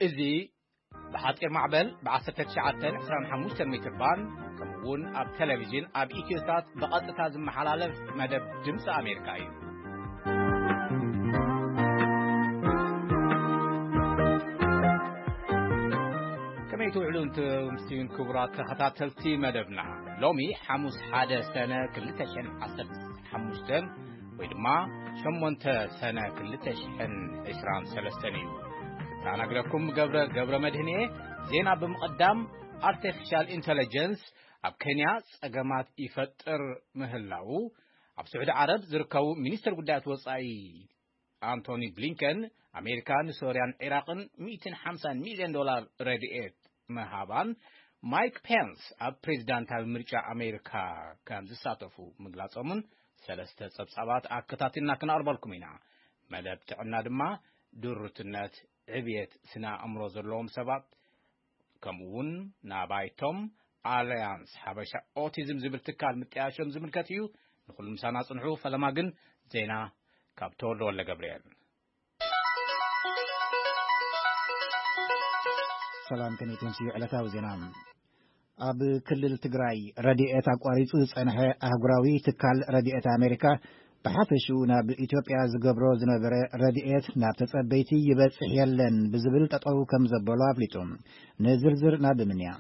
እዚ ብሓጺር ማዕበል ብ1925 ሜትር ባንድ፣ ከምኡ እውን ኣብ ቴሌቪዥን ኣብ ኢትዮሳት ብቐጥታ ዝመሓላለፍ መደብ ድምፂ ኣሜሪካ እዩ። ከመይ ትውዕሉ፣ እንተ ምስቲውን ክቡራት ተኸታተልቲ መደብና? ሎሚ ሓሙስ፣ ሓደ ሰነ ክልተ ሽሕን ዓሰርተ ሓሙሽተን፣ ወይ ድማ ሸሞንተ ሰነ ክልተ ሽሕን ዕስራን ሰለስተን እዩ። ተኣናግደኩም ገብረ፣ ገብረ መድህን እየ። ዜና ብምቕዳም፣ ኣርቲፊሻል ኢንተለጀንስ ኣብ ኬንያ ጸገማት ይፈጥር ምህላዉ፣ ኣብ ስዑዲ ዓረብ ዝርከቡ ሚኒስትር ጉዳያት ወጻኢ ኣንቶኒ ብሊንከን፣ ኣሜሪካ ንሶርያን ዒራቕን ሚእትን ሓምሳን ሚልዮን ዶላር ረድኤት ምሃባን፣ ማይክ ፔንስ ኣብ ፕሬዚዳንታዊ ምርጫ ኣሜሪካ ከም ዝሳተፉ ምግላጾምን ሰለስተ ጸብጻባት ኣከታቲልና ክነቕርበልኩም ኢና። መደብ ጥዕና ድማ ድሩትነት፣ ዕብየት ስነ ኣእምሮ ዘለዎም ሰባት፣ ከምኡ እውን ናባይቶም ኣልያንስ ሓበሻ ኦቲዝም ዝብል ትካል ምጥያሾም ዝምልከት እዩ። ንኹሉ ምሳና ጽንሑ። ፈለማ ግን ዜና ካብ ተወልደ ወልደ ገብርኤል። ሰላም፣ ከመይ ትምስዩ? ዕለታዊ ዜና። ኣብ ክልል ትግራይ ረድኤት ኣቋሪጹ ዝጸንሐ ኣህጉራዊ ትካል ረድኤት ኣሜሪካ፣ ብሓፈሽኡ ናብ ኢትዮጵያ ዝገብሮ ዝነበረ ረድኤት ናብ ተጸበይቲ ይበጽሕ የለን ብዝብል ጠጠው ከም ዘበሎ ኣፍሊጡ። ንዝርዝር ናብ ምንያ።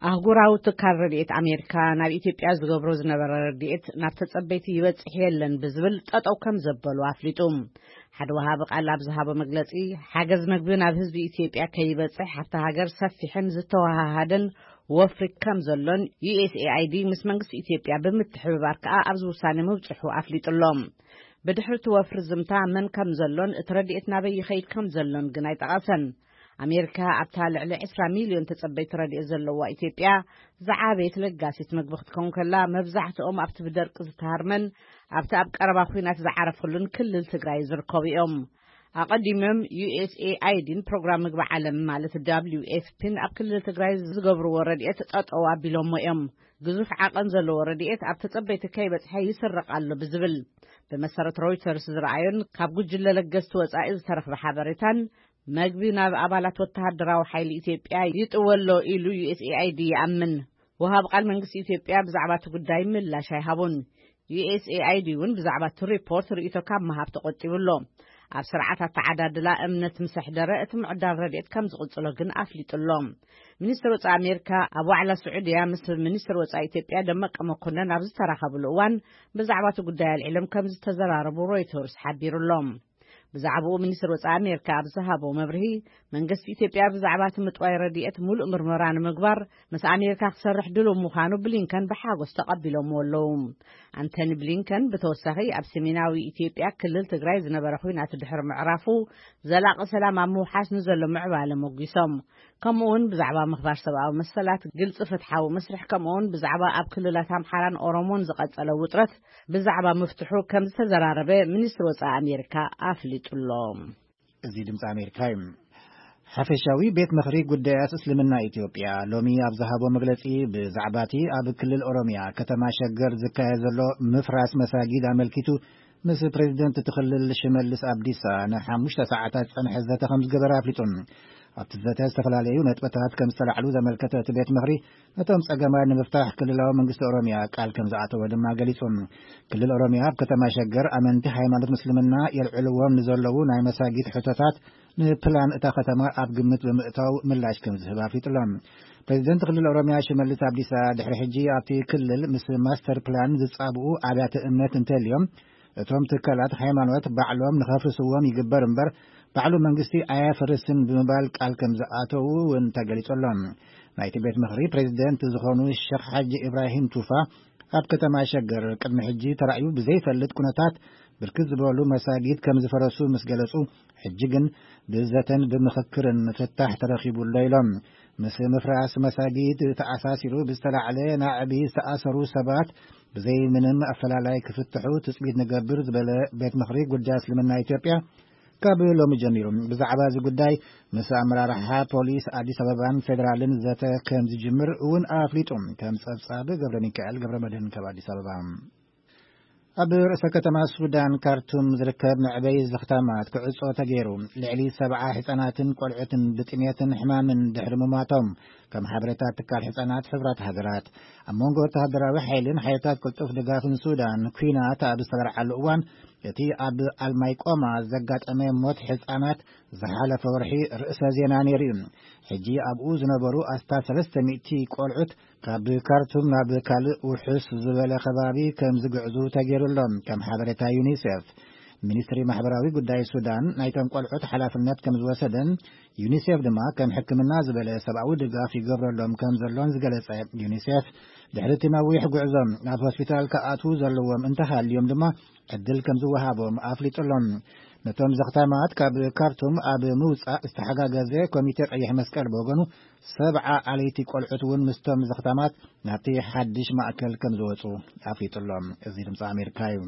ኣህጉራዊ ትካል ረድኤት ኣሜሪካ ናብ ኢትዮጵያ ዝገብሮ ዝነበረ ረድኤት ናብ ተጸበይቲ ይበጽሕ የለን ብዝብል ጠጠው ከም ዘበሉ ኣፍሊጡ። ሓደ ወሃቢ ቃል ኣብ ዝሃቦ መግለጺ፣ ሓገዝ መግቢ ናብ ህዝቢ ኢትዮጵያ ከይበጽሕ ኣብታ ሃገር ሰፊሕን ዝተወሃሃደን ወፍሪ ከም ዘሎን፣ ዩ ኤስ ኤ ኣይ ዲ ምስ መንግስቲ ኢትዮጵያ ብምትሕብባር ከኣ ኣብዚ ውሳኔ ምብጽሑ ኣፍሊጡ ኣሎ። ብድሕሪ እቲ ወፍሪ ዝምታ መን ከም ዘሎን እቲ ረድኤት ናበይ ይኸይድ ከም ዘሎን ግን ኣይጠቐሰን። ኣሜሪካ ኣብታ ልዕሊ ዕስራ ሚልዮን ተጸበይቲ ረድኤት ዘለዋ ኢትዮጵያ ዝዓበየት ለጋሲት መግቢ ክትከውን ከላ፣ መብዛሕትኦም ኣብቲ ብደርቂ ዝተሃርመን ኣብቲ ኣብ ቀረባ ኲናት ዝዓረፈሉን ክልል ትግራይ ዝርከቡ እዮም። ኣቐዲሞም ዩ ኤስ ኤ ኣይ ዲን ፕሮግራም ምግቢ ዓለም ማለት ደብሊው ኤፍ ፒን ኣብ ክልል ትግራይ ዝገብርዎ ረድኤት ጠጠው ኣቢሎሞ እዮም። ግዙፍ ዓቐን ዘለዎ ረድኤት ኣብ ተጸበይቲ ከይበጽሐ ይስረቕ ኣሎ ብዝብል፣ ብመሰረት ሮይተርስ ዝረኣዮን ካብ ጉጅለ ለገስቲ ወጻኢ ዝተረኽበ ሓበሬታን፣ መግቢ ናብ ኣባላት ወተሃደራዊ ሓይሊ ኢትዮጵያ ይጥወ ኣሎ ኢሉ ዩ ኤስ ኤ ኣይ ዲ ይኣምን። ወሃብ ቃል መንግስቲ ኢትዮጵያ ብዛዕባ እቲ ጉዳይ ምላሽ ኣይሃቡን። ዩ ኤስ ኤ ኣይ ዲ እውን ብዛዕባ እቲ ሪፖርት ርእይቶ ካብ ምሃብ ተቖጢቡ ኣሎ። ኣብ ስርዓት ኣተዓዳድላ እምነት ምስ ኣሕደረ፣ እቲ ምዕዳል ረድኤት ከም ዝቕጽሎ ግን ኣፍሊጡ ኣሎ። ሚኒስትር ወጻኢ ኣሜሪካ ኣብ ዋዕላ ስዑድያ ምስ ሚኒስትር ወጻኢ ኢትዮጵያ ደመቀ መኮነን ኣብ ዝተራኸብሉ እዋን፣ ብዛዕባ እቲ ጉዳይ ኣልዒሎም ከም ዝተዘራረቡ ሮይተርስ ሓቢሩ ኣሎ። ብዛዕባኡ ሚኒስትር ወጻኢ ኣሜሪካ ኣብ ዝሃቦ መብርሂ፣ መንግስቲ ኢትዮጵያ ብዛዕባ እቲ ምጥዋይ ረድኤት ምሉእ ምርመራ ንምግባር ምስ ኣሜሪካ ክሰርሕ ድሉው ምዃኑ ብሊንከን ብሓጎስ ተቐቢሎምዎ ኣለዉ። ኣንቶኒ ብሊንከን ብተወሳኺ ኣብ ሰሜናዊ ኢትዮጵያ ክልል ትግራይ ዝነበረ ኲናት ድሕሪ ምዕራፉ፣ ዘላቒ ሰላም ኣብ ምውሓስ ንዘሎ ምዕባለ ሞጒሶም። ከምኡ እውን ብዛዕባ ምኽባር ሰብኣዊ መሰላት፣ ግልፂ ፍትሓዊ መስርሕ፣ ከምኡ እውን ብዛዕባ ኣብ ክልላት ኣምሓራን ኦሮሞን ዝቐጸለ ውጥረት ብዛዕባ ምፍትሑ ከም ዝተዘራረበ ሚኒስትሪ ወጻኢ ኣሜሪካ ኣፍሊጡ ኣሎ። እዚ ድምፂ ኣሜሪካ እዩ። ሓፈሻዊ ቤት ምኽሪ ጉዳያት እስልምና ኢትዮጵያ ሎሚ ኣብ ዝሃቦ መግለፂ፣ ብዛዕባ እቲ ኣብ ክልል ኦሮሚያ ከተማ ሸገር ዝካየድ ዘሎ ምፍራስ መሳጊድ ኣመልኪቱ ምስ ፕሬዚደንት እቲ ክልል ሽመልስ ኣብዲሳ ንሓሙሽተ ሰዓታት ዝፀንሐ ዘተ ከም ዝገበረ ኣፍሊጡ። ኣብቲ ዘተ ዝተፈላለዩ ነጥብታት ከም ዝተላዕሉ ዘመልከተ እቲ ቤት ምኽሪ፣ ነቶም ጸገማት ንምፍታሕ ክልላዊ መንግስቲ ኦሮሚያ ቃል ከም ዝኣተወ ድማ ገሊጹ። ክልል ኦሮሚያ ኣብ ከተማ ሸገር ኣመንቲ ሃይማኖት ምስልምና የልዕልዎም ንዘለዉ ናይ መሳጊድ ሕቶታት ንፕላን እታ ከተማ ኣብ ግምት ብምእታው ምላሽ ከም ዝህብ ኣፍሊጡ ኣሎ። ፕሬዚደንት ክልል ኦሮሚያ ሽመልስ ኣብዲሳ፣ ድሕሪ ሕጂ ኣብቲ ክልል ምስ ማስተር ፕላን ዝጻብኡ ኣብያተ እምነት እንተልዮም፣ እቶም ትካላት ሃይማኖት ባዕሎም ንኸፍርስዎም ይግበር እምበር፣ ባዕሉ መንግስቲ ኣየፍርስን ብምባል ቃል ከም ዝኣተዉ እውን ተገሊጹ ኣሎ። ናይቲ ቤት ምኽሪ ፕሬዚደንት ዝኾኑ ሸኽ ሓጂ ኢብራሂም ቱፋ፣ ኣብ ከተማ ሸገር ቅድሚ ሕጂ ተራእዩ ብዘይፈልጥ ኩነታት ብርክት ዝበሉ መሳጊድ ከም ዝፈረሱ ምስ ገለጹ፣ ሕጂ ግን ብዘተን ብምኽክርን ፍታሕ ተረኺቡ ኣሎ ኢሎም። ምስ ምፍራስ መሳጊድ ተኣሳሲሩ ብዝተላዕለ ናዕቢ ዝተኣሰሩ ሰባት ብዘይ ምንም ኣፈላላይ ክፍትሑ ትጽቢት ንገብር ዝበለ ቤት ምኽሪ ጉዳይ እስልምና ኢትዮጵያ፣ ካብ ሎሚ ጀሚሩ ብዛዕባ እዚ ጉዳይ ምስ ኣመራርሓ ፖሊስ ኣዲስ ኣበባን ፌዴራልን ዘተ ከም ዝጅምር እውን ኣፍሊጡ። ከም ጸብጻብ ገብረ ሚካኤል ገብረ መድህን ካብ ኣዲስ ኣበባ። ኣብ ርእሰ ከተማ ሱዳን ካርቱም ዝርከብ መዕበይ ዘኽታማት ክዕጾ ተገይሩ። ልዕሊ ሰብዓ ህጻናትን ቆልዑትን ብጥሜትን ሕማምን ድሕሪ ምማቶም፣ ከም ሓበሬታ ትካል ህጻናት ሕብራት ሃገራት። ኣብ መንጎ ወተሃደራዊ ሓይልን ሓይልታት ቅልጡፍ ድጋፍን ሱዳን ኲናት ኣብ ዝተበርዓሉ እዋን፣ እቲ ኣብ ኣልማይቆማ ዘጋጠመ ሞት ህጻናት ዝሓለፈ ወርሒ ርእሰ ዜና ነይሩ እዩ። ሕጂ ኣብኡ ዝነበሩ ኣስታት ሰለስተ ሚእቲ ቆልዑት ካብ ካርቱም ናብ ካልእ ውሑስ ዝበለ ከባቢ ከም ዝግዕዙ ተገይሩሎም፣ ከም ሓበሬታ ዩኒሴፍ። ሚኒስትሪ ማሕበራዊ ጉዳይ ሱዳን ናይቶም ቆልዑት ሓላፍነት ከም ዝወሰደን፣ ዩኒሴፍ ድማ ከም ሕክምና ዝበለ ሰብኣዊ ድጋፍ ይገብረሎም ከም ዘሎን ዝገለጸ ዩኒሴፍ፣ ድሕሪ እቲ ነዊሕ ጉዕዞ ናብ ሆስፒታል ክኣትዉ ዘለዎም እንተሃልዮም ድማ ዕድል ከም ዝወሃቦም ኣፍሊጡሎም። ነቶም ዘኽታማት ካብ ካርቱም ኣብ ምውጻእ ዝተሓጋገዘ ኮሚቴ ቀይሕ መስቀል ብወገኑ፣ ሰብዓ ኣለይቲ ቆልዑት እውን ምስቶም ዘኽታማት ናብቲ ሓድሽ ማእከል ከም ዝወጹ ኣፍሊጡሎም። እዚ ድምፂ ኣሜሪካ እዩ።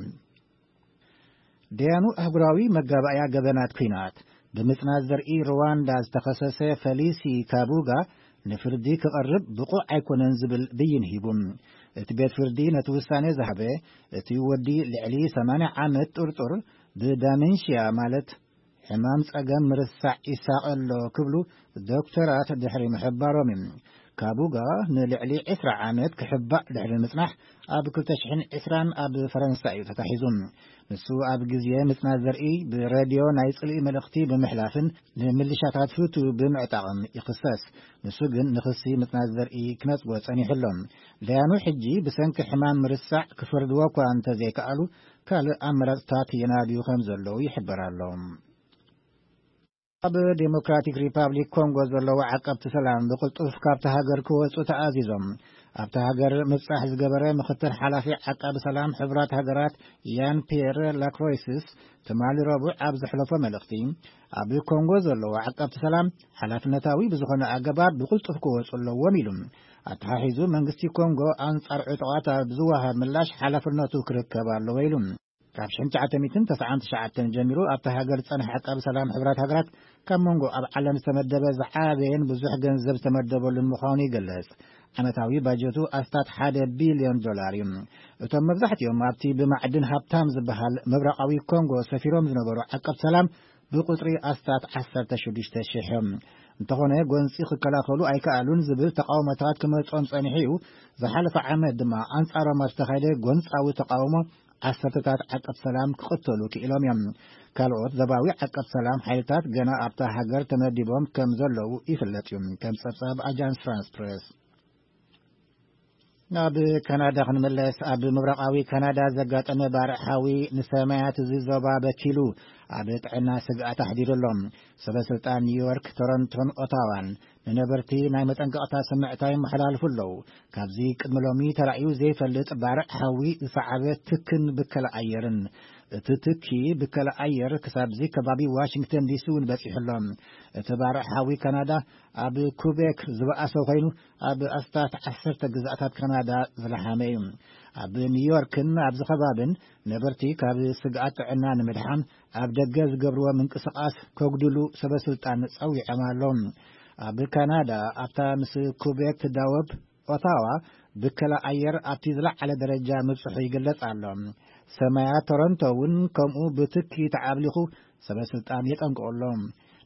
ደያኑ ኣህጉራዊ መጋባእያ ገበናት ኲናት፣ ብምጽናት ዘርኢ ሩዋንዳ ዝተኸሰሰ ፈሊሲ ካቡጋ ንፍርዲ ክቐርብ ብቑዕ ኣይኮነን ዝብል ብይን ሂቡ። እቲ ቤት ፍርዲ ነቲ ውሳኔ ዝሃበ፣ እቲ ወዲ ልዕሊ ሰማንያ ዓመት ጥርጡር ብዳመንሽያ፣ ማለት ሕማም ጸገም ምርሳዕ ይሳቐ ኣሎ ክብሉ ዶክተራት ድሕሪ ምሕባሮም እዩ። ካቡጋ ንልዕሊ ዕስራ ዓመት ክሕባእ ድሕሪ ምጽናሕ፣ ኣብ ክልተ ሽሕን ዕስራን ኣብ ፈረንሳ እዩ ተታሒዙ። ንሱ ኣብ ግዜ ምጽናት ዘርኢ ብሬድዮ ናይ ጽልኢ መልእኽቲ ብምሕላፍን ንምልሻታት ሁቱ ብምዕጣቕን ይኽሰስ። ንሱ ግን ንኽሲ ምጽናት ዘርኢ ክነጽጎ ጸኒሑ ኣሎ። ደያኑ ሕጂ ብሰንኪ ሕማም ምርሳዕ ክፈርድዎ እኳ እንተዘይከኣሉ፣ ካልእ ኣመራጽታት የናድዩ ከም ዘለዉ ይሕበር ኣሎ። ኣብ ዴሞክራቲክ ሪፓብሊክ ኮንጎ ዘለዉ ዓቀብቲ ሰላም ብቕልጡፍ ካብቲ ሃገር ክወጹ ተኣዚዞም። ኣብቲ ሃገር ምብጻሕ ዝገበረ ምኽትል ሓላፊ ዓቃቢ ሰላም ሕቡራት ሃገራት ያን ፒየር ላክሮይስስ ትማሊ ረቡዕ ኣብ ዘሕለፎ መልእኽቲ፣ ኣብ ኮንጎ ዘለዉ ዓቀብቲ ሰላም ሓላፍነታዊ ብዝኾነ ኣገባብ ብቕልጡፍ ክወጹ ኣለዎም ኢሉ። ኣተሓሒዙ መንግስቲ ኮንጎ ኣንጻር ዕጡቓት ኣብ ዝወሃብ ምላሽ ሓላፍነቱ ክርከብ ኣለዎ ኢሉ። ካብ ሽሕን ትሽዓተ ሚእትን ተስዓን ትሽዓተን ጀሚሩ ኣብታ ሃገር ዝጸንሐ ዓቃቢ ሰላም ሕብራት ሃገራት፣ ካብ መንጎ ኣብ ዓለም ዝተመደበ ዝዓበየን ብዙሕ ገንዘብ ዝተመደበሉን ምዃኑ ይገልጽ። ዓመታዊ ባጀቱ ኣስታት ሓደ ቢልዮን ዶላር እዩ። እቶም መብዛሕትኦም ኣብቲ ብማዕድን ሃብታም ዝበሃል ምብራቓዊ ኮንጎ ሰፊሮም ዝነበሩ ዓቀብ ሰላም ብቁጽሪ ኣስታት ዓሰርተ ሽዱሽተ ሽሕ እዮም። እንተኾነ፣ ጎንጺ ክከላኸሉ ኣይከኣሉን ዝብል ተቃውሞታት ክመጾም ጸኒሑ እዩ። ዝሓለፈ ዓመት ድማ ኣንጻሮም ኣብ ዝተኻየደ ጎንጻዊ ተቃውሞ ዓሰርተታት ዓቀብ ሰላም ክቕተሉ ክኢሎም እዮም። ካልኦት ዞባዊ ዓቀብ ሰላም ሓይልታት ገና ኣብታ ሃገር ተመዲቦም ከም ዘለዉ ይፍለጥ እዩ። ከም ጸብጻብ ኣጃንስ ፍራንስ ፕሬስ። ናብ ካናዳ ክንመለስ። ኣብ ምብራቓዊ ካናዳ ዘጋጠመ ባርዕ ሓዊ ንሰማያት እዚ ዞባ በኪሉ ኣብ ጥዕና ስግኣት ኣሕዲሩ ኣሎ። ሰበ ስልጣን ኒውዮርክ፣ ቶሮንቶን ኦታዋን ንነበርቲ ናይ መጠንቀቕታ ስምዕታ ይመሓላልፉ ኣለዉ። ካብዚ ቅድሚ ሎሚ ተራእዩ ዘይፈልጥ ባርዕ ሓዊ ዝሰዓበ ትክን ብከላ ኣየርን፣ እቲ ትኪ ብከላ ኣየር ክሳብዚ ከባቢ ዋሽንግተን ዲሲ እውን በጺሑ ኣሎ። እቲ ባርዕ ሓዊ ካናዳ ኣብ ኩቤክ ዝበኣሰ ኮይኑ፣ ኣብ ኣስታት ዓሰርተ ግዛኣታት ካናዳ ዝለሓመ እዩ። ኣብ ኒውዮርክን ኣብዚ ከባብን ነበርቲ ካብ ስግኣት ጥዕና ንምድሓን ኣብ ደገ ዝገብርዎ ምንቅስቓስ ከጉድሉ ሰበ ስልጣን ጸዊዖም ኣለዉ። ኣብ ካናዳ፣ ኣብታ ምስ ኩቤክ ትዳወብ ኦታዋ፣ ብከላ ኣየር ኣብቲ ዝለዓለ ደረጃ ምብጽሑ ይግለጽ ኣሎ። ሰማያት ቶሮንቶ እውን ከምኡ ብትኪ ተዓብሊኹ ሰበ ስልጣን የጠንቅቑ ኣሎ።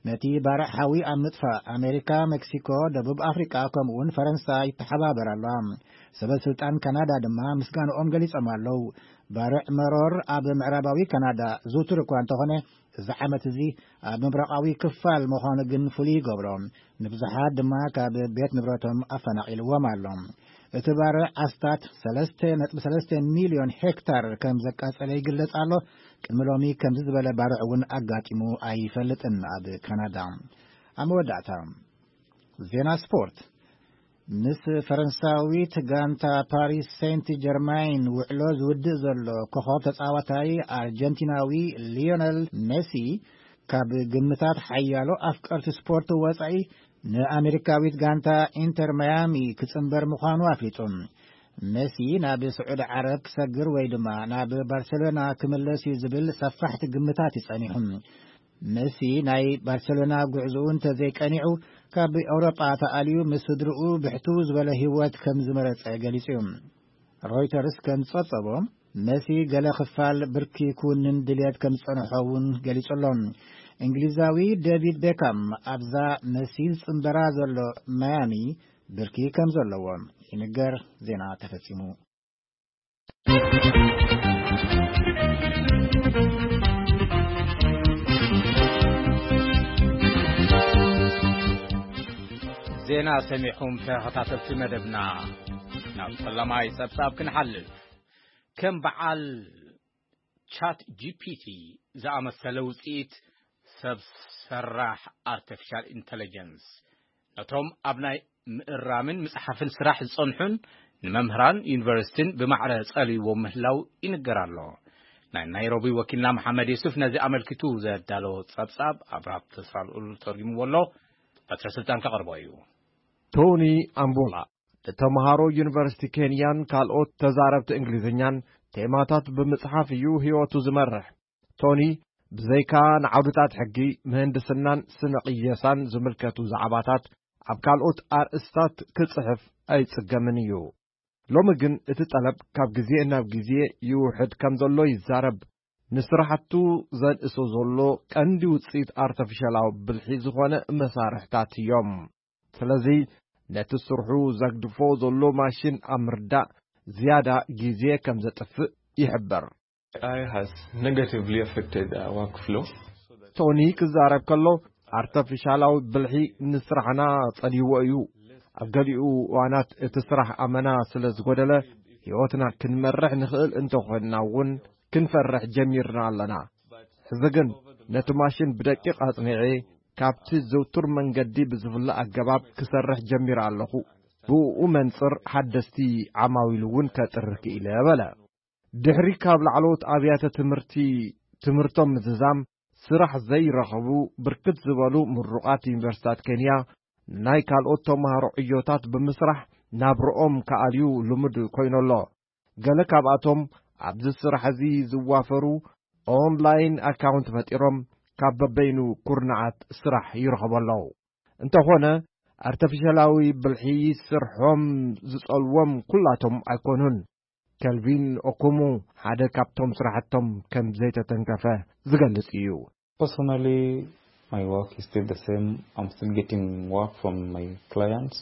ነቲ ባርዕ ሓዊ ኣብ ምጥፋእ ኣሜሪካ፣ ሜክሲኮ፣ ደቡብ ኣፍሪቃ፣ ከምኡ እውን ፈረንሳ ይተሓባበር ኣለዋ። ሰበ ስልጣን ካናዳ ድማ ምስጋንኦም ገሊጾም ኣለዉ። ባርዕ መሮር ኣብ ምዕራባዊ ካናዳ ዝውቱር እኳ እንተኾነ፣ እዚ ዓመት እዚ ኣብ ምብራቓዊ ክፋል ምዃኑ ግን ፍሉይ ይገብሮ። ንብዙሓት ድማ ካብ ቤት ንብረቶም ኣፈናቒልዎም ኣሎ። እቲ ባርዕ ኣስታት ሰለስተ ነጥቢ ሰለስተ ሚልዮን ሄክታር ከም ዘቃጸለ ይግለጽ ኣሎ። ቅድሚ ሎሚ ከምዚ ዝበለ ባርዕ እውን ኣጋጢሙ ኣይፈልጥን ኣብ ካናዳ። ኣብ መወዳእታ፣ ዜና ስፖርት። ምስ ፈረንሳዊት ጋንታ ፓሪስ ሴንት ጀርማይን ውዕሎ ዝውድእ ዘሎ ኮኸብ ተጻዋታይ ኣርጀንቲናዊ ሊዮነል ሜሲ፣ ካብ ግምታት ሓያሎ ኣፍቀርቲ ስፖርት ወጻኢ፣ ንኣሜሪካዊት ጋንታ ኢንተር ማያሚ ክጽንበር ምዃኑ ኣፍሊጡ። ሜሲ ናብ ስዑዲ ዓረብ ክሰግር ወይ ድማ ናብ ባርሴሎና ክምለስ እዩ ዝብል ሰፋሕቲ ግምታት እዩ ጸኒሑ። ሜሲ ናይ ባርሴሎና ጉዕዞኡ እንተዘይቀኒዑ፣ ካብ ኤውሮጳ ተኣልዩ ምስ ስድርኡ ብሕትው ዝበለ ህይወት ከም ዝመረጸ ገሊጹ እዩ። ሮይተርስ ከም ዝጸብጸቦ፣ መሲ ገለ ክፋል ብርኪ ክውንን ድልየት ከም ዝጸንሖ እውን ገሊጹ ኣሎ። እንግሊዛዊ ዴቪድ ቤካም ኣብዛ መሲ ዝጽንበራ ዘሎ ማያሚ ብርኪ ከም ዘለዎ ይንገር። ዜና ተፈጺሙ። ዜና ሰሚዕኹም ተኸታተልቲ መደብና፣ ናብ ፈላማይ ጸብጻብ ክንሓልፍ። ከም በዓል ቻት ጂ ፒ ቲ ዝኣመሰለ ውጽኢት ሰብ ሰራሕ ኣርቲፊሻል ኢንተለጀንስ ነቶም ኣብ ናይ ምእራምን ምጽሓፍን ስራሕ ዝጸንሑን ንመምህራን ዩኒቨርሲቲን ብማዕረ ጸልይዎም ምህላው ይንገር ኣሎ። ናይ ናይሮቢ ወኪልና መሓመድ የሱፍ ነዚ ኣመልኪቱ ዘዳለዎ ጸብጻብ ኣብርሃም ተስፋልኡል ተርጉምዎ ኣሎ። በትረ ስልጣን ከቕርቦ እዩ። ቶኒ ኣምቦላ ንተምሃሮ ዩኒቨርሲቲ ኬንያን ካልኦት ተዛረብቲ እንግሊዝኛን ቴማታት ብምጽሓፍ እዩ ህይወቱ ዝመርሕ። ቶኒ ብዘይካ ንዓውድታት ሕጊ፣ ምህንድስናን ስነ ቅየሳን ዝምልከቱ ዛዕባታት ኣብ ካልኦት ኣርእስታት ክጽሕፍ ኣይጽገምን እዩ። ሎሚ ግን እቲ ጠለብ ካብ ግዜ ናብ ግዜ ይውሕድ ከም ዘሎ ይዛረብ። ንስራሕቱ ዘንእሶ ዘሎ ቀንዲ ውጽኢት ኣርተፊሻላዊ ብልሒ ዝኾነ መሳርሕታት እዮም። ስለዚ ነቲ ስርሑ ዘግድፎ ዘሎ ማሽን ኣብ ምርዳእ ዝያዳ ግዜ ከም ዘጥፍእ ይሕበር። A I has negatively affected our workflow. ቶኒ ክዛረብ ከሎ፣ ኣርተፊሻላዊ ብልሒ ንስራሕና ጸልይዎ እዩ። ኣብ ገሊኡ እዋናት እቲ ስራሕ ኣመና ስለ ዝጎደለ፣ ህይወትና ክንመርሕ ንኽእል እንተኾንና እውን ክንፈርሕ ጀሚርና ኣለና። ሕዚ ግን ነቲ ማሽን ብደቂቕ ኣጽኒዐ፣ ካብቲ ዝውቱር መንገዲ ብዝፍለ ኣገባብ ክሰርሕ ጀሚረ ኣለኹ። ብእኡ መንጽር ሓደስቲ ዓማዊል እውን ከጥሪ ክኢለ በለ። ድሕሪ ካብ ላዕለዎት ኣብያተ ትምህርቲ ትምህርቶም ምዝዛም ስራሕ ዘይረኸቡ ብርክት ዝበሉ ምሩቓት ዩኒቨርሲታት ኬንያ፣ ናይ ካልኦት ተምሃሮ ዕዮታት ብምስራሕ ናብርኦም ክኣልዩ ልሙድ ኮይኑ ኣሎ። ገለ ካብኣቶም ኣብዚ ስራሕ እዚ ዝዋፈሩ ኦንላይን ኣካውንት ፈጢሮም ካብ በበይኑ ኩርናዓት ስራሕ ይረኸቡ ኣለዉ። እንተኾነ ኣርተፊሻላዊ ብልሒ ስርሖም ዝጸልዎም ኩላቶም ኣይኮኑን። ከልቪን ኦኩሙ ሓደ ካብቶም ስራሕቶም ከም ዘይተተንከፈ ዝገልጽ እዩ። Personally, my work is still the same. I'm still getting work from my clients.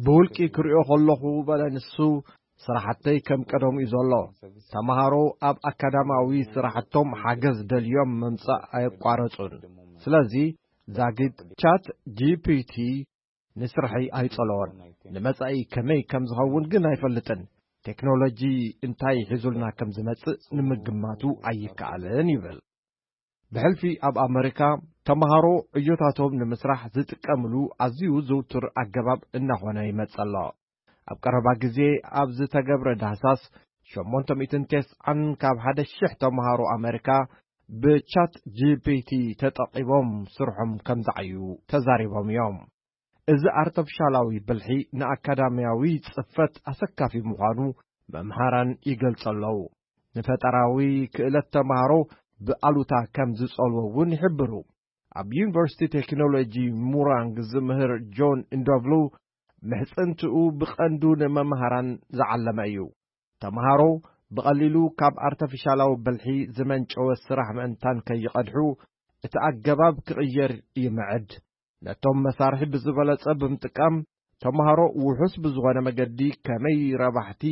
ብውልቂ ክሪኦ ከለኹ በለ ንሱ፣ ስራሕተይ ከም ቀደሙ እዩ ዘሎ። ተምሃሮ ኣብ ኣካዳማዊ ስራሕቶም ሓገዝ ደልዮም ምምጻእ ኣየቋረጹን። ስለዚ ዛጊት ቻት ጂ ፒ ቲ ንስርሐይ ኣይጸለዎን። ንመጻኢ ከመይ ከም ዝኸውን ግን ኣይፈልጥን። ቴክኖሎጂ እንታይ ሒዙልና ከም ዝመጽእ ንምግማቱ ኣይከኣልን ይብል። ብሕልፊ ኣብ ኣመሪካ ተምሃሮ ዕዮታቶም ንምስራሕ ዝጥቀምሉ ኣዝዩ ዝውቱር ኣገባብ እናኾነ ይመጽእ ኣሎ። ኣብ ቀረባ ግዜ ኣብ ዝተገብረ ዳህሳስ ሸሞንተ ሚእትን ተስዓን ካብ ሓደ ሽሕ ተምሃሮ ኣመሪካ ብቻት ጂ ፒ ቲ ተጠቒሞም ስርሖም ከም ዝዓዩ ተዛሪቦም እዮም። እዚ ኣርተፊሻላዊ ብልሒ ንኣካዳሚያዊ ጽፈት ኣሰካፊ ምዃኑ መምሃራን ይገልጹ ኣለዉ። ንፈጠራዊ ክእለት ተምሃሮ ብኣሉታ ከም ዝጸልዎ እውን ይሕብሩ። ኣብ ዩኒቨርሲቲ ቴክኖሎጂ ሙራንግ ዝምህር ጆን እንዶቭሉ ምሕጽንትኡ ብቐንዱ ንመምሃራን ዝዓለመ እዩ። ተምሃሮ ብቐሊሉ ካብ ኣርተፊሻላዊ ብልሒ ዝመንጨወ ስራሕ ምእንታን ከይቐድሑ እቲ ኣገባብ ክቕየር ይምዕድ። ነቶም መሳርሒ ብዝበለጸ ብምጥቃም ተምሃሮ ውሑስ ብዝኾነ መገዲ ከመይ ረባሕቲ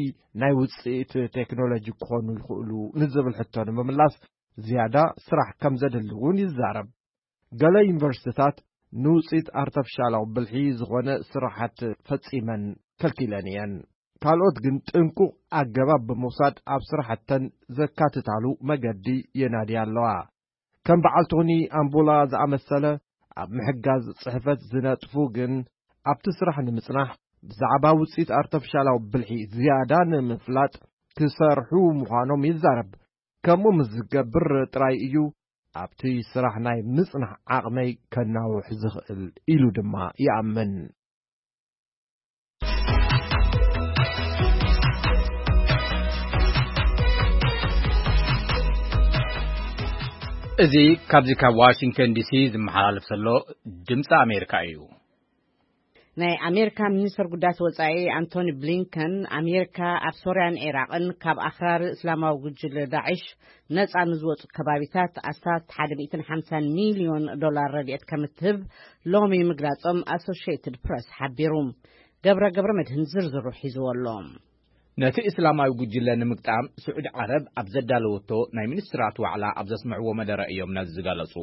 ናይ ውጽኢት ቴክኖሎጂ ክኾኑ ይኽእሉ ንዝብል ሕቶ ንምምላስ ዝያዳ ስራሕ ከም ዘድሊ እውን ይዛረብ። ገለ ዩኒቨርሲቲታት ንውጽኢት ኣርተፊሻላዊ ብልሒ ዝኾነ ስራሓት ፈጺመን ከልኪለን እየን። ካልኦት ግን ጥንቁቕ ኣገባብ ብምውሳድ ኣብ ስራሕተን ዘካትታሉ መገዲ የናድያ ኣለዋ። ከም በዓል ቶኒ ኣምቡላ ዝኣመሰለ ኣብ ምሕጋዝ ጽሕፈት ዝነጥፉ ግን ኣብቲ ስራሕ ንምጽናሕ ብዛዕባ ውጽኢት ኣርተፊሻላዊ ብልሒ ዝያዳ ንምፍላጥ ክሰርሑ ምዃኖም ይዛረብ። ከምኡ ምስ ዝገብር ጥራይ እዩ ኣብቲ ስራሕ ናይ ምጽናሕ ዓቕመይ ከናውሕ ዝኽእል ኢሉ ድማ ይኣምን። እዚ ካብዚ ካብ ዋሽንግተን ዲሲ ዝመሓላለፍ ዘሎ ድምፂ ኣሜሪካ እዩ። ናይ ኣሜሪካ ሚኒስትር ጉዳያት ወጻኢ ኣንቶኒ ብሊንከን፣ ኣሜሪካ ኣብ ሶርያን ዒራቕን ካብ ኣኽራሪ እስላማዊ ጉጅለ ዳዕሽ ነጻ ንዝወጹ ከባቢታት ኣስታት ሓደ ሚእትን ሓምሳን ሚልዮን ዶላር ረድኤት ከም እትህብ ሎሚ ምግላጾም ኣሶሺየትድ ፕረስ ሓቢሩ። ገብረ ገብረ መድህን ዝርዝሩ ሒዝዎ ኣሎ። ነቲ እስላማዊ ጉጅለ ንምግጣም ስዑዲ ዓረብ ኣብ ዘዳለወቶ ናይ ሚኒስትራት ዋዕላ ኣብ ዘስምዕዎ መደረ እዮም ነዚ ዝገለጹ።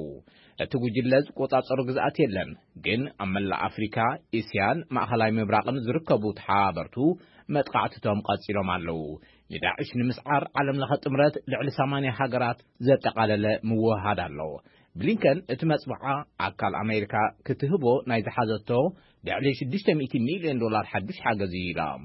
እቲ ጉጅለ ዝቆጻጸሩ ግዝኣት የለን፣ ግን ኣብ መላእ ኣፍሪካ፣ እስያን ማእኸላይ ምብራቕን ዝርከቡ ተሓባበርቱ መጥቃዕትቶም ቀጺሎም ኣለዉ። ንዳዕሽ ንምስዓር ዓለም ለኸ ጥምረት ልዕሊ ሰማንያ ሃገራት ዘጠቓለለ ምውህሃድ ኣሎ። ብሊንከን እቲ መጽብዓ ኣካል ኣሜሪካ ክትህቦ ናይ ዝሓዘቶ ልዕሊ ሽዱሽተ ሚእቲ ሚልዮን ዶላር ሓዱሽ ሓገዝ እዩ ኢሎም።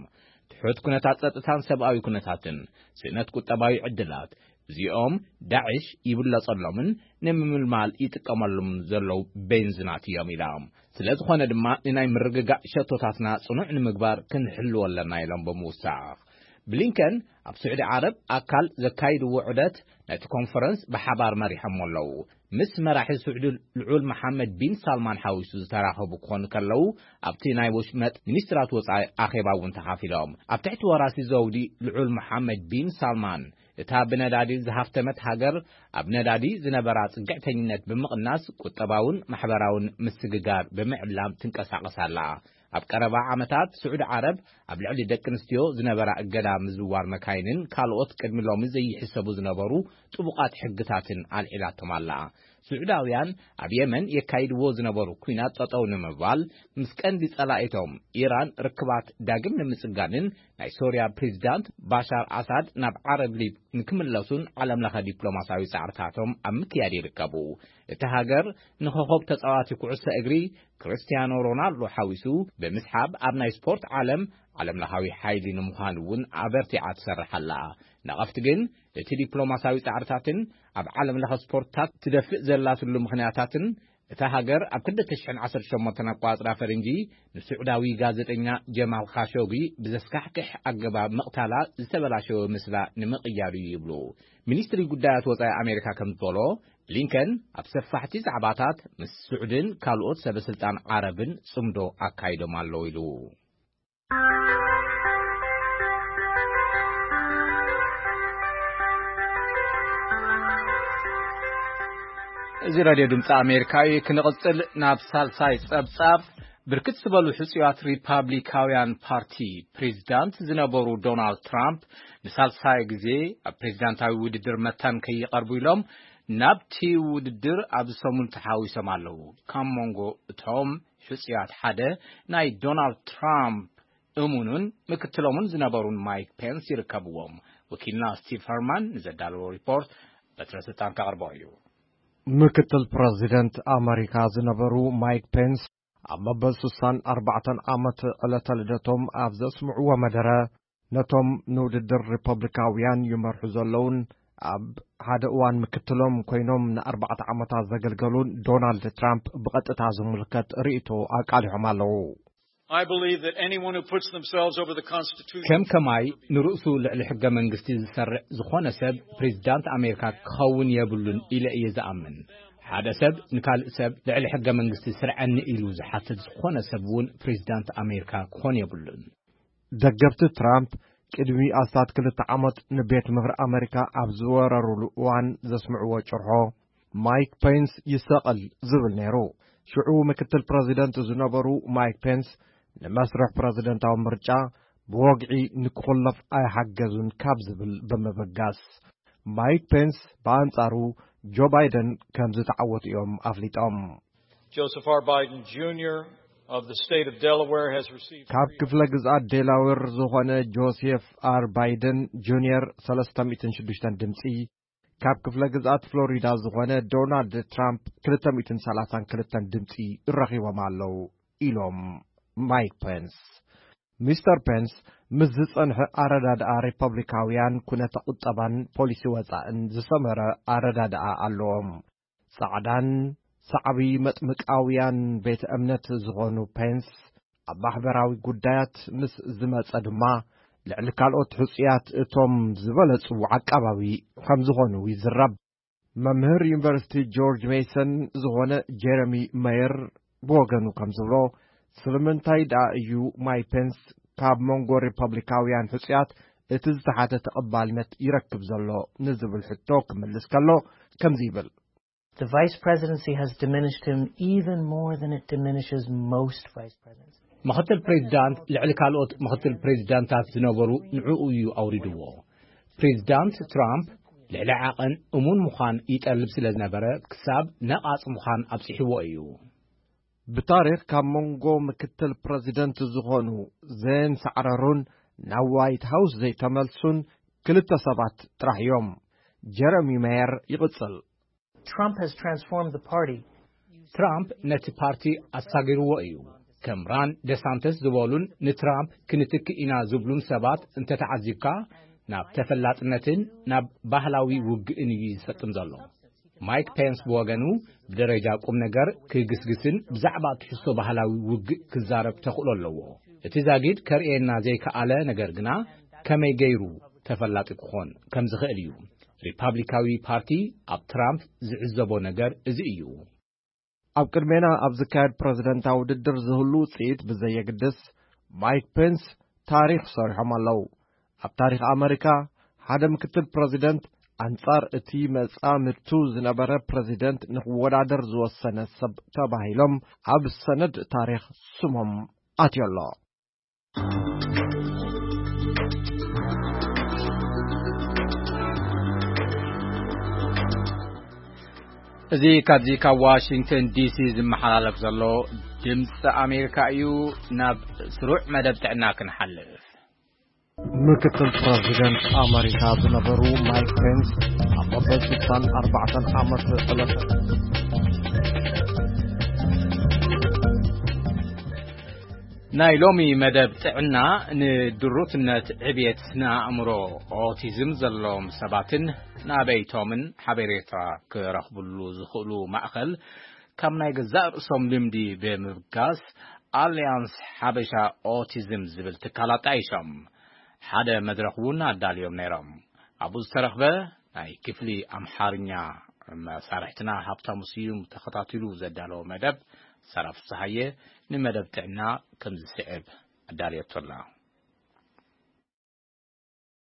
ትሑት ኩነታት ጸጥታን ሰብኣዊ ኩነታትን፣ ስእነት ቁጠባዊ ዕድላት፣ እዚኦም ዳዕሽ ይብለጸሎምን ንምምልማል ይጥቀመሎም ዘለዉ ቤንዝናት እዮም ኢሎም። ስለ ዝኾነ ድማ ንናይ ምርግጋእ ሸቶታትና ጽኑዕ ንምግባር ክንሕልዎ ኣለና ኢሎም ብምውሳኽ። ብሊንከን ኣብ ስዑዲ ዓረብ ኣካል ዘካይድዎ ዑደት ነቲ ኮንፈረንስ ብሓባር መሪሖሞ ኣለዉ። ምስ መራሒ ስዑዲ ልዑል መሓመድ ቢን ሳልማን ሓዊሱ ዝተራኸቡ ክኾኑ ከለዉ፣ ኣብቲ ናይ ወሽመጥ ሚኒስትራት ወጻኢ ኣኼባ እውን ተኻፊሎም። ኣብ ትሕቲ ወራሲ ዘውዲ ልዑል መሓመድ ቢን ሳልማን፣ እታ ብነዳዲ ዝሃፍተመት ሃገር ኣብ ነዳዲ ዝነበራ ጽግዕተኝነት ብምቕናስ ቁጠባውን ማሕበራውን ምስግጋር ብምዕላም ትንቀሳቐስ ኣላ። ኣብ ቀረባ ዓመታት ስዑዲ ዓረብ ኣብ ልዕሊ ደቂ ኣንስትዮ ዝነበራ እገዳ ምዝዋር መካይንን ካልኦት ቅድሚ ሎሚ ዘይሕሰቡ ዝነበሩ ጥቡቓት ሕግታትን ኣልዒላቶም ኣላ። ስዑዳውያን ኣብ የመን የካይድዎ ዝነበሩ ኲናት ጠጠው ንምባል ምስ ቀንዲ ጸላኢቶም ኢራን ርክባት ዳግም ንምጽጋንን ናይ ሶርያ ፕሬዚዳንት ባሻር ኣሳድ ናብ ዓረብ ሊግ ንክምለሱን ዓለም ለኸ ዲፕሎማሲያዊ ጻዕርታቶም ኣብ ምክያድ ይርከቡ። እቲ ሃገር ንኸኾብ ተጻዋቲ ኩዕሶ እግሪ ክርስቲያኖ ሮናልዶ ሓዊሱ ብምስሓብ ኣብ ናይ ስፖርት ዓለም ዓለም ለኻዊ ሓይሊ ንምዃን እውን ኣበርቲዓ ትሰርሕ ኣላ። ነቐፍቲ ግን እቲ ዲፕሎማሲያዊ ጻዕርታትን ኣብ ዓለም ለኸ ስፖርትታት ትደፍእ ዘላትሉ ምኽንያታትን እታ ሃገር ኣብ ክልተ ሽሕን ዓሰርተ ሸሞንተን ኣቋጽራ ፈረንጂ ንስዑዳዊ ጋዜጠኛ ጀማል ካሾጊ ብዘስካሕክሕ ኣገባብ ምቕታላ ዝተበላሸወ ምስላ ንምቕያር እዩ ይብሉ። ሚኒስትሪ ጉዳያት ወጻኢ ኣሜሪካ ከም ዝበሎ፣ ብሊንከን ኣብ ሰፋሕቲ ዛዕባታት ምስ ስዑድን ካልኦት ሰበስልጣን ዓረብን ጽምዶ ኣካይዶም ኣለዉ ኢሉ። እዚ ራድዮ ድምፂ ኣሜሪካ እዩ። ክንቕፅል ናብ ሳልሳይ ፀብፃብ። ብርክት ዝበሉ ሕፁያት ሪፓብሊካውያን ፓርቲ ፕሬዚዳንት ዝነበሩ ዶናልድ ትራምፕ ንሳልሳይ ግዜ ኣብ ፕሬዚዳንታዊ ውድድር መታን ከይቐርቡ ኢሎም ናብቲ ውድድር ኣብዚ ሰሙን ተሓዊሶም ኣለዉ። ካብ መንጎ እቶም ሕፁያት ሓደ ናይ ዶናልድ ትራምፕ እሙኑን ምክትሎምን ዝነበሩን ማይክ ፔንስ ይርከብዎም። ወኪልና ስቲቭ ኸርማን ንዘዳለዎ ሪፖርት በትረ ስልጣን ከቕርቦ እዩ። ምክትል ፕረዚደንት ኣመሪካ ዝነበሩ ማይክ ፔንስ ኣብ መበል ስሳን ኣርባዕተን ዓመት ዕለተ ልደቶም ኣብ ዘስምዕዎ መደረ፣ ነቶም ንውድድር ሪፐብሊካውያን ይመርሑ ዘለውን ኣብ ሓደ እዋን ምክትሎም ኮይኖም ንኣርባዕተ ዓመታት ዘገልገሉን ዶናልድ ትራምፕ ብቐጥታ ዝምልከት ርእይቶ ኣቃሊሖም ኣለዉ። I believe that anyone who puts themselves over the Constitution ከም ከማይ ንርእሱ ልዕሊ ሕገ መንግስቲ ዝሰርዕ ዝኾነ ሰብ ፕሬዚዳንት ኣሜሪካ ክኸውን የብሉን ኢለ እየ ዝኣምን። ሓደ ሰብ ንካልእ ሰብ ልዕሊ ሕገ መንግስቲ ስርዐኒ ኢሉ ዝሓትት ዝኾነ ሰብ እውን ፕሬዚዳንት ኣሜሪካ ክኾን የብሉን። ደገፍቲ ትራምፕ ቅድሚ ኣስታት ክልተ ዓመት ንቤት ምኽሪ ኣመሪካ ኣብ ዝወረሩሉ እዋን ዘስምዕዎ ጭርሖ፣ ማይክ ፔንስ ይሰቐል ዝብል ነይሩ። ሽዑ ምክትል ፕረዚደንት ዝነበሩ ማይክ ፔንስ ንመስርሕ ፕረዚደንታዊ ምርጫ ብወግዒ ንክኹለፍ ኣይሓገዙን ካብ ዝብል ብምብጋስ፣ ማይክ ፔንስ ብኣንጻሩ ጆ ባይደን ከም ዝተዓወቱ እዮም ኣፍሊጦም። Joseph R. Biden Junior of the state of Delaware has received ካብ ክፍለ ግዝኣት ዴላዌር ዝኾነ ጆሴፍ ኣር ባይደን ጁኒየር ሰለስተ ሚእትን ሽዱሽተን ድምፂ፣ ካብ ክፍለ ግዝኣት ፍሎሪዳ ዝኾነ ዶናልድ ትራምፕ ክልተ ሚእትን ሰላሳን ክልተን ድምፂ ረኺቦም ኣለዉ ኢሎም ማይክ ፔንስ። ሚስተር ፔንስ ምስ ዝጸንሐ ኣረዳድኣ ሪፐብሊካውያን ኩነተ ቁጠባን ፖሊሲ ወጻእን ዝሰመረ ኣረዳድኣ ኣለዎም። ጻዕዳን ሰዓቢ መጥምቃውያን ቤተ እምነት ዝኾኑ ፔንስ ኣብ ማሕበራዊ ጉዳያት ምስ ዝመጸ ድማ ልዕሊ ካልኦት ሕጹያት እቶም ዝበለጹ ዓቃባዊ ከም ዝኾኑ ይዝረብ። መምህር ዩኒቨርሲቲ ጆርጅ ሜሰን ዝኾነ ጀረሚ መየር ብወገኑ ከም ዝብሎ፣ ስለምንታይ ደኣ እዩ ማይክ ፔንስ ካብ መንጎ ሪፐብሊካውያን ሕጹያት እቲ ዝተሓተ ተቐባልነት ይረክብ ዘሎ ንዝብል ሕቶ ክምልስ ከሎ ከምዚ ይብል። The vice presidency has diminished him even more than it diminishes most vice presidents. ምኽትል ፕሬዚዳንት ልዕሊ ካልኦት ምኽትል ፕሬዚዳንታት ዝነበሩ ንዕኡ እዩ ኣውሪድዎ። ፕሬዚዳንት ትራምፕ ልዕሊ ዓቐን እሙን ምዃን ይጠልብ ስለ ዝነበረ ክሳብ ነቓጽ ምዃን ኣብጺሕዎ እዩ። ብታሪኽ ካብ መንጎ ምክትል ፕረዚደንት ዝኾኑ ዘይንሳዕረሩን ናብ ዋይት ሃውስ ዘይተመልሱን ክልተ ሰባት ጥራሕ እዮም። ጀረሚ ሜየር ይቕጽል። Trump has transformed the party. ትራምፕ ነቲ ፓርቲ ኣሳጊርዎ እዩ። ከም ራን ደሳንተስ ዝበሉን ንትራምፕ ክንትክእ ኢና ዝብሉን ሰባት እንተተዓዚብካ ናብ ተፈላጥነትን ናብ ባህላዊ ውግእን እዩ ዝሰጥም ዘሎ። ማይክ ፔንስ ብወገኑ ብደረጃ ቁም ነገር ክግስግስን ብዛዕባ ትሕዝቶ ባህላዊ ውግእ ክዛረብ ተኽእሎ ኣለዎ። እቲ ዛጊድ ከርእየና ዘይከኣለ ነገር ግና ከመይ ገይሩ ተፈላጢ ክኾን ከም ዝኽእል እዩ። ሪፓብሊካዊ ፓርቲ ኣብ ትራምፕ ዝዕዘቦ ነገር እዚ እዩ። ኣብ ቅድሜና ኣብ ዝካየድ ፕረዚደንታዊ ውድድር ዝህሉ ውጽኢት ብዘየግድስ ማይክ ፔንስ ታሪኽ ሰሪሖም ኣለዉ። ኣብ ታሪኽ ኣመሪካ ሓደ ምክትል ፕረዚደንት ኣንጻር እቲ መጻምድቱ ዝነበረ ፕረዚደንት ንክወዳደር ዝወሰነ ሰብ ተባሂሎም ኣብ ሰነድ ታሪኽ ስሞም ኣትዮ ኣሎ። እዚ ካብዚ ካብ ዋሽንግተን ዲሲ ዝመሓላለፍ ዘሎ ድምፂ ኣሜሪካ እዩ። ናብ ስሩዕ መደብ ጥዕና ክንሓልፍ። ምክትል ፕረዚደንት ኣመሪካ ዝነበሩ ማይክ ፔንስ ኣብ መበል ስሳን ኣርባዕተን ዓመት ዕለተ ናይ ሎሚ መደብ ጥዕና ንድሩትነት ዕብየት ስነ ኣእምሮ ኦቲዝም ዘለዎም ሰባትን ናበይቶምን ሓበሬታ ክረኽብሉ ዝኽእሉ ማእኸል ካብ ናይ ገዛእ ርእሶም ልምዲ ብምብጋስ ኣልያንስ ሓበሻ ኦቲዝም ዝብል ትካል ኣጣይሾም ሓደ መድረኽ እውን ኣዳልዮም ነይሮም። ኣብኡ ዝተረኽበ ናይ ክፍሊ ኣምሓርኛ መሳርሕትና ሃብታሙ ስዩም ተኸታቲሉ ዘዳለዎ መደብ ሰራ ፍስሃየ ንመደብ ጥዕና ከም ዝስዕብ ኣዳልየቶ ኣላ።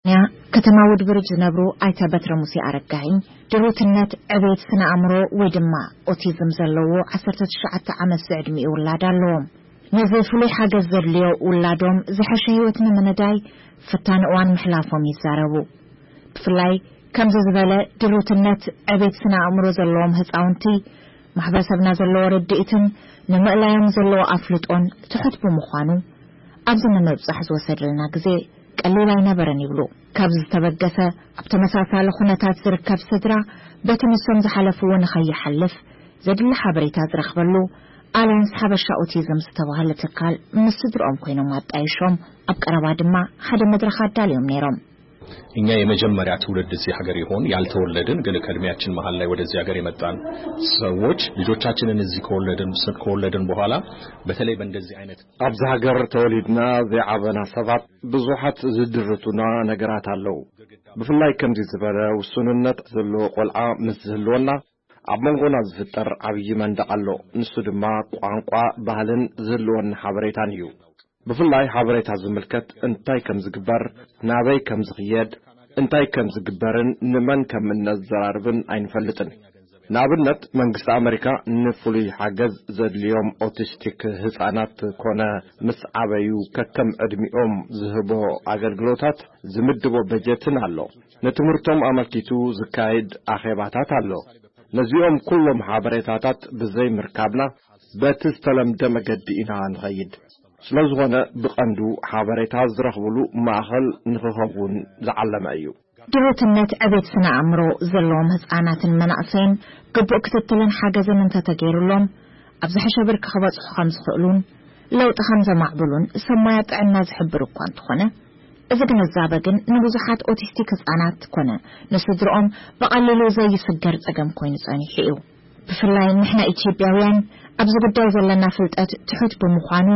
ያ ከተማ ውድብርጅ ዝነብሩ ኣይተ በትረ ሙሴ ኣረጋኸኝ ድሩትነት ዕቤት ስነ ኣእምሮ ወይ ድማ ኦቲዝም ዘለዎ ዓሰርተ ትሽዓተ ዓመት ዝዕድሚኡ ውላድ ኣለዎም። ነዚ ፍሉይ ሓገዝ ዘድልዮ ውላዶም ዝሐሸ ህይወት ንምንዳይ ፈታኒ እዋን ምሕላፎም ይዛረቡ። ብፍላይ ከምዚ ዝበለ ድሩትነት ዕቤት ስነ ኣእምሮ ዘለዎም ህፃውንቲ ማሕበረሰብና ዘለዎ ርድኢትን ንምእላዮም ዘለዎ ኣፍልጦን ትሑት ብምዃኑ ኣብዚ ንምብፃሕ ዝወሰደልና ግዜ ቀሊል ኣይነበረን ይብሉ። ካብዚ ዝተበገሰ ኣብ ተመሳሳሊ ኩነታት ዝርከብ ስድራ በቲ ንሶም ዝሓለፍዎ ንኸይሓልፍ ዘድሊ ሓበሬታ ዝረኽበሉ ኣልያንስ ሓበሻ ኦቲዝም ዝተባህለ ትካል ምስ ስድርኦም ኮይኖም ኣጣይሾም ኣብ ቀረባ ድማ ሓደ መድረኽ ኣዳልዮም ነይሮም። እኛ የመጀመሪያ ትውልድ እዚህ ሀገር ይሆን ያልተወለድን ግን ከእድሜያችን መሀል ላይ ወደዚህ ሀገር የመጣን ሰዎች ልጆቻችንን እዚህ ከወለድን ከወለድን በኋላ በተለይ በእንደዚህ አይነት ኣብዚ ሃገር ተወሊድና ዘይዓበና ሰባት ብዙሓት ዝድርቱና ነገራት ኣለዉ። ብፍላይ ከምዚ ዝበለ ውሱንነት ዘለዎ ቆልዓ ምስ ዝህልወና ኣብ መንጎና ዝፍጠር ዓብዪ መንደቕ ኣሎ። ንሱ ድማ ቋንቋ፣ ባህልን ዝህልወና ሓበሬታን እዩ። ብፍላይ ሓበሬታ ዝምልከት እንታይ ከም ዝግበር፣ ናበይ ከም ዝኽየድ፣ እንታይ ከም ዝግበርን ንመን ከም እነዘራርብን ኣይንፈልጥን። ንኣብነት መንግስቲ ኣመሪካ ንፍሉይ ሓገዝ ዘድልዮም ኦቲስቲክ ህፃናት ኮነ ምስ ዓበዩ ከከም ዕድሚኦም ዝህቦ ኣገልግሎታት ዝምድቦ በጀትን ኣሎ። ንትምህርቶም ኣመልኪቱ ዝካየድ ኣኼባታት ኣሎ። ነዚኦም ኩሎም ሓበሬታታት ብዘይ ምርካብና በቲ ዝተለምደ መገዲ ኢና ንኸይድ። ስለዝኾነ ብቐንዱ ሓበሬታ ዝረኽብሉ ማእኸል ንኽኸውን ዝዓለመ እዩ። ድሩትነት ዕቤት ስነ ኣእምሮ ዘለዎም ህፃናትን መናእሰይን ግቡእ ክትትልን ሓገዝን እንተተገይሩሎም ኣብ ዝሐሸ ብርኪ ክበፅሑ ከም ዝኽእሉን ለውጢ ከም ዘማዕብሉን ሰብ ሞያ ጥዕና ዝሕብር እኳ እንተኾነ እዚ ግንዛበ ግን ንብዙሓት ኦቲስቲክ ህፃናት ኮነ ንስድርኦም ብቐሊሉ ዘይስገር ፀገም ኮይኑ ፀኒሑ እዩ። ብፍላይ ንሕና ኢትዮጵያውያን ኣብዚ ጉዳይ ዘለና ፍልጠት ትሑት ብምዃኑ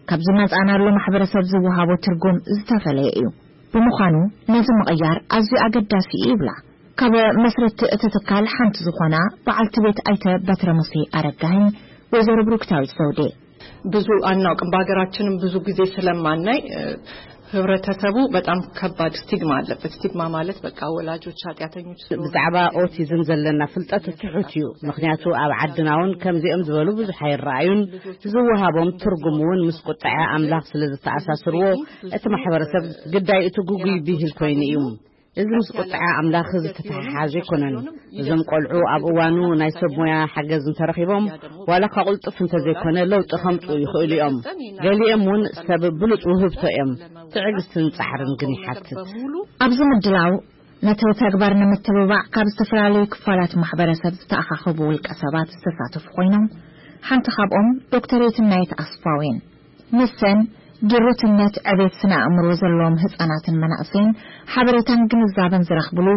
ካብ ዝመፃእናሉ ማሕበረሰብ ዝወሃቦ ትርጉም ዝተፈለየ እዩ። ብምዃኑ ነዚ ምቕያር ኣዝዩ ኣገዳሲ እዩ ይብላ ካብ መስረቲ እቲ ትካል ሓንቲ ዝኾና በዓልቲ ቤት ኣይተ በትረ ሙሴ ኣረጋኸኝ ወይዘሮ ብሩክታዊት ዘውዴ። ብዙ አናውቅም። በሀገራችንም ብዙ ጊዜ ስለማናይ፣ እ፣ ህብረተሰቡ በጣም ከባድ ስቲግማ አለበት። ስቲግማ ማለት በቃ ወላጆች ኃጢአተኞች ስለሆኑ ብዛዕባ ኦቲዝም ዘለና ፍልጠት ትሑት እዩ። ምኽንያቱ ኣብ ዓድና እውን ከምዚኦም ዝበሉ ብዙሕ ኣይረኣዩን። ዝወሃቦም ትርጉም እውን ምስ ቁጥዐ ኣምላኽ ስለ ዝተኣሳስርዎ፣ እቲ ማሕበረሰብ ግዳይ እቲ ግጉይ ብሂል ኮይኑ እዩ። እዚ ምስ ቁጥዐ ኣምላኽ ዝተተሓሓዘ ኣይኮነን። እዞም ቆልዑ ኣብ እዋኑ ናይ ሰብ ሞያ ሓገዝ እንተረኺቦም፣ ዋላ እኳ ቅልጡፍ እንተዘይኮነ ለውጢ ከምጽኡ ይኽእሉ እዮም። ገሊኦም እውን ሰብ ብሉጽ ውህብቶ እዮም። ትዕግስትን ጻዕርን ግን ይሓትት። ኣብዚ ምድላው ነቲ ተግባር ንምትብባዕ ካብ ዝተፈላለዩ ክፋላት ማሕበረሰብ ዝተኣኻኸቡ ውልቀ ሰባት ዝተሳተፉ ኮይኖም፣ ሓንቲ ካብኦም ዶክተር የትናየት ኣስፋው እየን። ንሰን ድሩትነት ዕቤት ስነ ኣእምሮ ዘለዎም ህጻናትን መናእሰይን ሓበሬታን ግንዛበን ዝረኽብሉ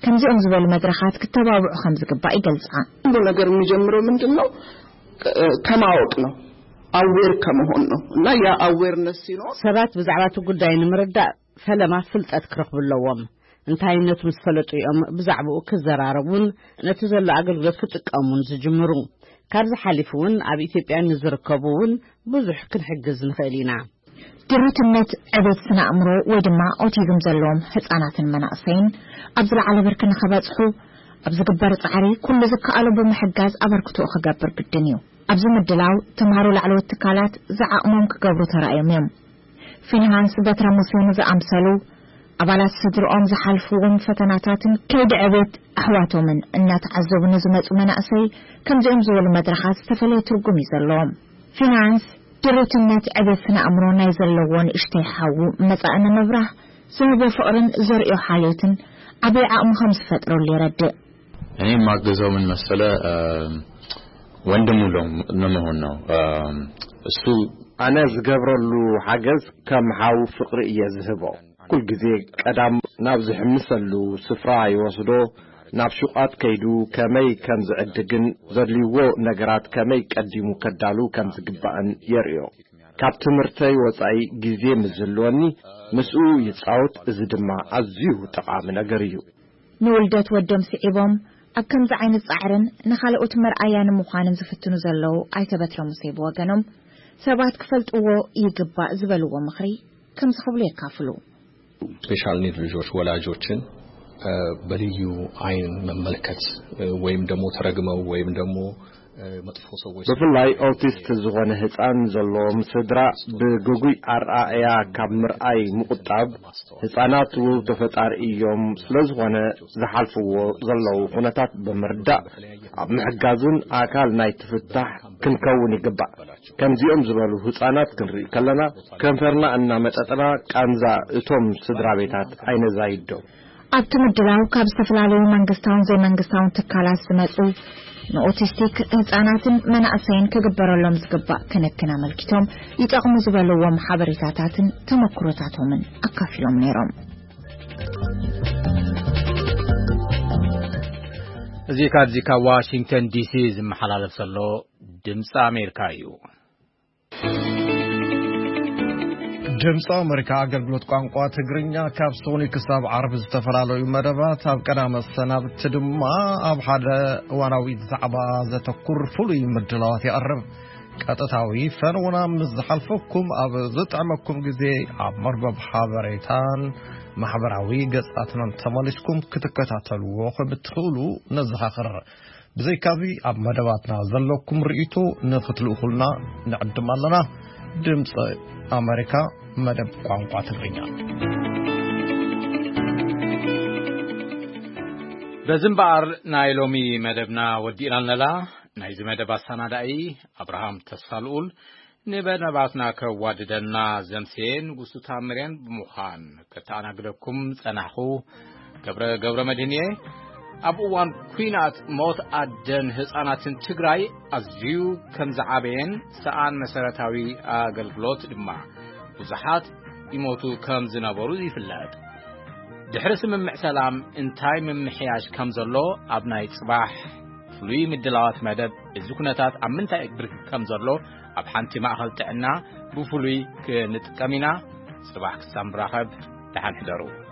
ከምዚኦም ዝበሉ መድረኻት ክተባብዑ ከም ዝግባእ ይገልጻ። ሁሉ ነገር የሚጀምረው ምንድን ነው? ከማወቅ ነው። አዌር ከመሆን ነው። እና ያ አዌርነስ ሲኖር ሰባት ብዛዕባ እቲ ጉዳይ ንምርዳእ ፈለማ ፍልጠት ክረኽቡ ኣለዎም። እንታይነቱ ምስ ፈለጡ እዮም ብዛዕባኡ ክዘራረቡን ነቲ ዘሎ ኣገልግሎት ክጥቀሙን ዝጅምሩ። ካብዚ ሓሊፉ እውን ኣብ ኢትዮጵያ ንዝርከቡ እውን ብዙሕ ክንሕግዝ ንኽእል ኢና። ድሩትነት ዕቤት ስነ ኣእምሮ ወይ ድማ ኦቲዝም ዘለዎም ህጻናትን መናእሰይን ኣብ ዝለዓለ ብርኪ ንኸበጽሑ ኣብ ዝግበር ጻዕሪ ኩሉ ዝከኣሎ ብምሕጋዝ ኣበርክቶኡ ክገብር ግድን እዩ። ኣብዚ ምድላው ተምሃሮ ላዕለዎት ትካላት ዝዓቕሞም ክገብሩ ተራእዮም እዮም። ፊንሃንስ በትረ ሙሴን ዝኣምሰሉ ኣባላት ስድርኦም ዝሓልፍዎም ፈተናታትን ከይዲ ዕቤት ኣሕዋቶምን እናተዓዘቡ ንዝመጹ መናእሰይ ከምዚኦም ዝበሉ መድረኻት ዝተፈለየ ትርጉም እዩ ዘለዎም። ፊንሃንስ ድሩትነት ዕቤት ስነ ኣእምሮ ናይ ዘለዎ ንእሽተይ ሓዉ መጻኢ ንምብራህ ዝህቦ ፍቕርን ዘርእዮ ሓልዮትን ዓብዪ ዓቕሚ ከም ዝፈጥረሉ የረድእ። እኔ የማግዘው ምን መሰለ፣ እ፣ ወንድሙ ለ-፣ ለመሆን ነው። እ፣ እሱ ኣነ ዝገብረሉ ሓገዝ ከም ሓው ፍቕሪ እየ ዝህቦ። ኩል ግዜ ቀዳም ናብ ዝሕምሰሉ ስፍራ ይወስዶ፣ ናብ ሹቓት ከይዱ ከመይ ከም ዝዕድግን ዘድልይዎ ነገራት ከመይ ቀዲሙ ከዳሉ ከም ዝግባእን የርእዮ። ካብ ትምህርተይ ወጻኢ ግዜ ምስ ዝህልወኒ ምስኡ ይጻወት፣ እዚ ድማ ኣዝዩ ጠቓሚ ነገር እዩ። ንውልደት ወዶም ስዒቦም ኣብ ከምዚ ዓይነት ጻዕርን ንኻልኦት መርኣያ ንምዃንን ዝፍትኑ ዘለዉ ኣይተ በትረ ሙሴ ብወገኖም፣ ሰባት ክፈልጥዎ ይግባእ ዝበልዎ ምኽሪ ከምዚ ክብሉ የካፍሉ። ስፔሻል ኒድ ልጆች ወላጆችን፣ እ፣ በልዩ አይን መመልከት፣ እ፣ ወይም ደግሞ ተረግመው ወይም ደግሞ፣ እ፣ መጥፎ ሰዎች ብፍላይ ኦቲስት ዝኾነ ህፃን ዘለዎም ስድራ ብግጉይ ኣረኣእያ ካብ ምርኣይ ምቁጣብ፣ ህፃናት ውህብቶ ፈጣሪ እዮም፣ ስለዝኾነ ዝሓልፍዎ ዘለዉ ኩነታት ብምርዳእ ኣብ ምሕጋዝን ኣካል ናይ ትፍታሕ ክንከውን ይግባእ። ከምዚኦም ዝበሉ ህፃናት ክንርኢ ከለና ከንፈርና እናመጠጥና ቃንዛ እቶም ስድራ ቤታት ኣይነዛይዶ። ኣብቲ ምድላው ካብ ዝተፈላለዩ መንግስታውን ዘይመንግስታውን ትካላት ዝመጹ ንኦቲስቲክ ህጻናትን መናእሰይን ክግበረሎም ዝግባእ ክንክን ኣመልኪቶም ይጠቕሙ ዝበልዎም ሓበሬታታትን ተመክሮታቶምን ኣካፊሎም ነይሮም። እዚ ካብዚ ካብ ዋሽንግተን ዲሲ ዝመሓላለፍ ዘሎ ድምፂ ኣሜሪካ እዩ። ድምፂ ኣሜሪካ ኣገልግሎት ቋንቋ ትግርኛ ካብ ሶኒ ክሳብ ዓርቢ ዝተፈላለዩ መደባት፣ ኣብ ቀዳመ ሰናብቲ ድማ ኣብ ሓደ እዋናዊ ዛዕባ ዘተኩር ፍሉይ ምድላዋት የቕርብ። ቀጥታዊ ፈነውና ምስ ዝሓልፈኩም ኣብ ዝጥዕመኩም ግዜ ኣብ መርበብ ሓበሬታን ማሕበራዊ ገጻትናን ተመሊስኩም ክትከታተልዎ ከም እትኽእሉ ነዘኻኽር። ብዘይካዚ ኣብ መደባትና ዘለኩም ርእይቶ ንኽትልእኹልና ንዕድም ኣለና። ድምፂ ኣሜሪካ መደብ ቋንቋ ትግርኛ። በዚ እምበኣር ናይ ሎሚ መደብና ወዲእና ኣለና። ናይዚ መደብ ኣሰናዳኢ ኣብርሃም ተስፋልኡል፣ ንመደባትና ከዋድደና ዘምሴ ንጉሱ ታምሬን ብምዃን ከተኣናግደኩም ጸናሕኹ። ገብረ፣ ገብረ መድህን እየ። ኣብ እዋን ኲናት ሞት ኣደን ህጻናትን ትግራይ ኣዝዩ ከም ዝዓበየን ሰኣን መሰረታዊ ኣገልግሎት ድማ ብዙሓት ይሞቱ ከም ዝነበሩ ይፍለጥ። ድሕሪ ስምምዕ ሰላም እንታይ ምምሕያሽ ከም ዘሎ ኣብ ናይ ጽባሕ ፍሉይ ምድላዋት መደብ፣ እዚ ኩነታት ኣብ ምንታይ ብርኪ ከም ዘሎ ኣብ ሓንቲ ማእከል ጥዕና ብፍሉይ ክንጥቀም ኢና። ጽባሕ ክሳብ ንራኸብ፣ ደሓን ሕደሩ።